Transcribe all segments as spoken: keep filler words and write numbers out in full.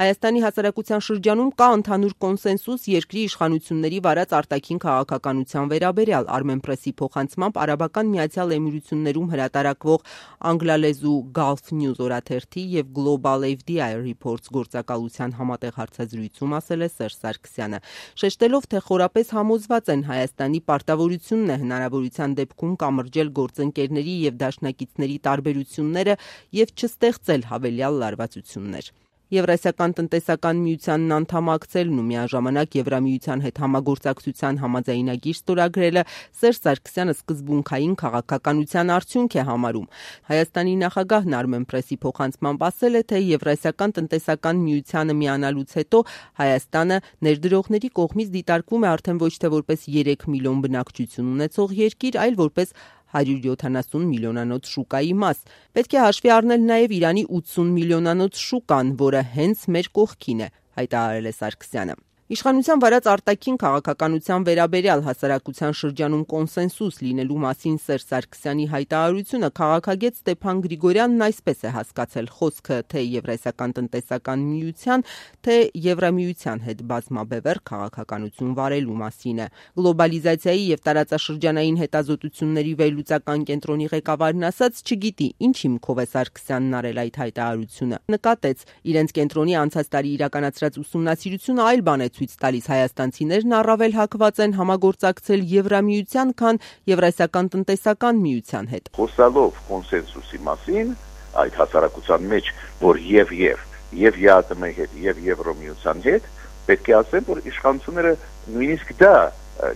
Հայաստանի հասարակության շրջանում կա ընդհանուր կոնսենսուս երկրի իշխանությունների վարած արտաքին քաղաքականության վերաբերյալ, Armenpress-ի փոխանցմամբ Արաբական Միացյալ Էմիրություններում հրատարակվող անգլալեզու Gulf News օրաթերթի և Global F D I Reports գործակալության համատեղ հարցազրույցում ասել է Սերժ Սարգսյանը, շեշտելով, թե խորապես համոզված են Հայաստանի պարտավորությունն է հնարավորության դեպքում կամրջել գործընկերների և դաշնակիցների տարբերությունները և չստեղծել հավելյալ լարվածություններ։ Եվրասիական տնտեսական միությանն անդամակցելն ու միաժամանակ Եվրամիության հետ համագործակցության համաձայնագիր ստորագրելը Սերժ Սարգսյանը սկզբունքային քաղաքականության արդյունք է համարում։ Հայաստանի նախագահն Armenpress-ի փոխանցմամբ ասել է, թե Եվրասիական տնտեսական միությանը միանալուց հետո Հայաստանը ներդրողների կողմից դիտարկվում է արդեն ոչ թե որպես երեք միլիոն բնակչություն ունեցող երկիր, այլ որպես հարյուր յոթանասուն միլիոնանոց շուկայի մաս։ Պետք է հաշվի առնել նաև Իրանի ութսուն միլիոնանոց շուկան, որը հենց մեր կողքին է, հայտարարել է Սարգսյանը։ Իշխանության վարած արտաքին քաղաքականության վերաբերյալ հասարակության շրջանում կոնսենսուս լինելու մասին Սերժ Սարգսյանի հայտարարությունը քաղաքագետ Ստեփան Գրիգորյանն այսպես է հասկացել խոսքը թե Եվրասիական տնտեսական միության, թե Եվրամիության հետ բազմաբևեռ քաղաքականություն վարելու մասին է։ Գլոբալիզացիայի և տարածաշրջանային հետազոտությունների վերլուծական կենտրոնի ղեկավարն ասաց, չգիտի ինչ հիմքով է Սարգսյանն արել այդ հայտարարությունը։ Նկատեց, իրենց կենտրոնի անցած տարի իրականացրած ուսումնասիրությունը այլ բան է ցույց տալիս, հայաստանցիներն առավել հակված են համագործակցել Եվրամիության, քան Եվրասիական տնտեսական միության հետ։ Խոսալով կոնսենսուսի մասին այդ հասարակության մեջ, որ եւ եւ եւ ԵԱՏՄ-ի հետ եւ Եվրամիության հետ, պետք է ասեմ, որ իշխանությունները նույնիսկ դա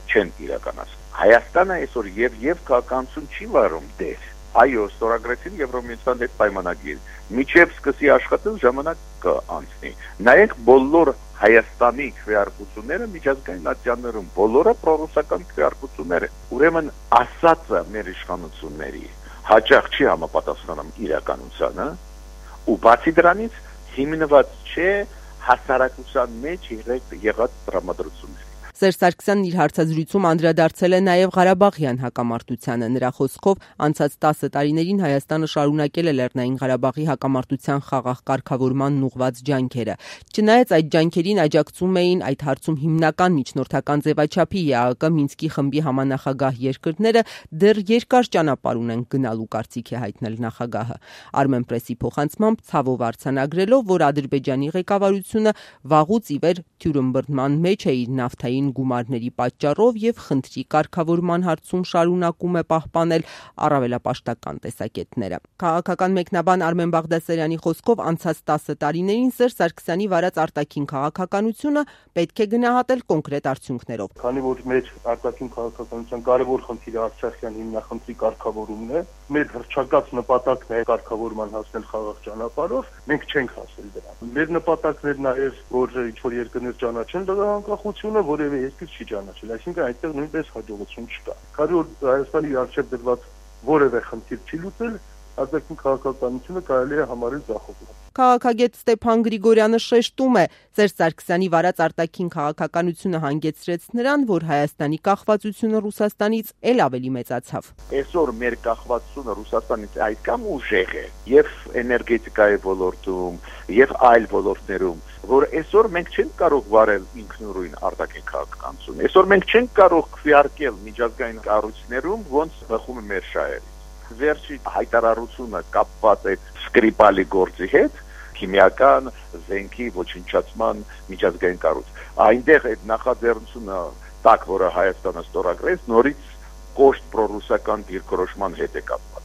չեն իրականացնում։ Հայաստանը այսօր եւ եւ քաղաքականություն չի վարում դեր։ Այո, ստորագրեցին Եվրամիության հետ պայմանագիր։ Միջև սկսի աշխատել ժամանակ կանցնի։ Նայեք բոլոր Հայաստանի քվեարկությունները միջազգային ատյաններում, բոլորը պրոռուսական քվեարկություններ են։ Ուրեմն ասածը մեր իշխանությունների հաճախ չի համապատասխանում իրականությանը, ու բացի դրանից հիմնված չէ հասարակության մեջ եղած տրամադրությունների։ Սերժ Սարգսյանն իր հարցազրույցում անդրադարձել է նաև Ղարաբաղյան հակամարտությանը։ Նրա խոսքով անցած տասը տարիներին Հայաստանը շարունակել է Լեռնային Ղարաբաղի հակամարտության խաղաղ կարգավորմանն ուղղված ջանքերը։ Չնայած այդ ջանքերին աջակցում էին այդ հարցում հիմնական միջնորդական ձևաչափի ԵԱՀԿ Մինսկի խմբի համանախագահ երկրները, դեռ երկար ճանապարհ ունեն գնալու, կարծիք է հայտնել նախագահը։ Armenpress-ի փոխանցմամբ ցավով արձանագրելով, որ Ադրբեջանի ղեկավարությունը վաղուց ի վեր թյուրըմբռնման մեջ է իր նավթային գումարների պատճառով և խնդրի կարգավորման հարցում շարունակում է պահպանել առավելապաշտական տեսակետները։ Քաղաքական մեկնաբան Արմեն Բաղդասարյանի խոսքով անցած տասը տարիներին Սերժ Սարգսյանի վարած արտաքին քաղաքականությունը պետք է գնահատել կոնկրետ արդյունքներով։ Քանի որ մեր արտաքին քաղաքականության կարևոր խնդիրը Արցախյան հիմնախնդրի կարգավորումն է, մեր հռչակած նպատակն է կարգավորման հասնել խաղաղ ճանապարհով, մենք չենք հասել դրան։ Մեր նպատակն է նաև, որ ինչ-որ երկրներ ճանաչեն դրա անկախությունը, որևէ երկիր չի ճանաչել, այսինքն այդտեղ նույնպես հաջողություն չկա։ Քանի որ Հայաստանի առջև դրված որևէ խնդիր չի լուծել, արտաքին քաղաքականությունը կարելի է համարել ձախողված։ Քաղաքագետ Ստեփան Գրիգորյանը շեշտում է, Սերժ Սարգսյանի վարած արտաքին քաղաքականությունը հանգեցրեց նրան, որ Հայաստանի կախվածությունը Ռուսաստանից էլ ավելի մեծացավ։ Այսօր մեր կախվածությունը Ռուսաստանից այդքան ուժեղ է եւ էներգետիկայի ոլորտում, եւ այլ ոլորտներում, որ այսօր մենք չենք կարող վարել ինքնուրույն արտաքին քաղաքականություն։ Այսօր մենք չենք կարող քվեարկել միջազգային կառույցներում, ոնց բխում է մեր շահերը։ Վերջի հայտարարությունը կապված է Սկրիպալի գործի հետ, քիմիական զենքի ոչնչացման միջազգային կառույց։ Այնտեղ այդ նախաձեռնությունը տակ, որը Հայաստանը ստորագրեց, նորից կոշտ պրոռուսական դիրքորոշման հետ է կապված։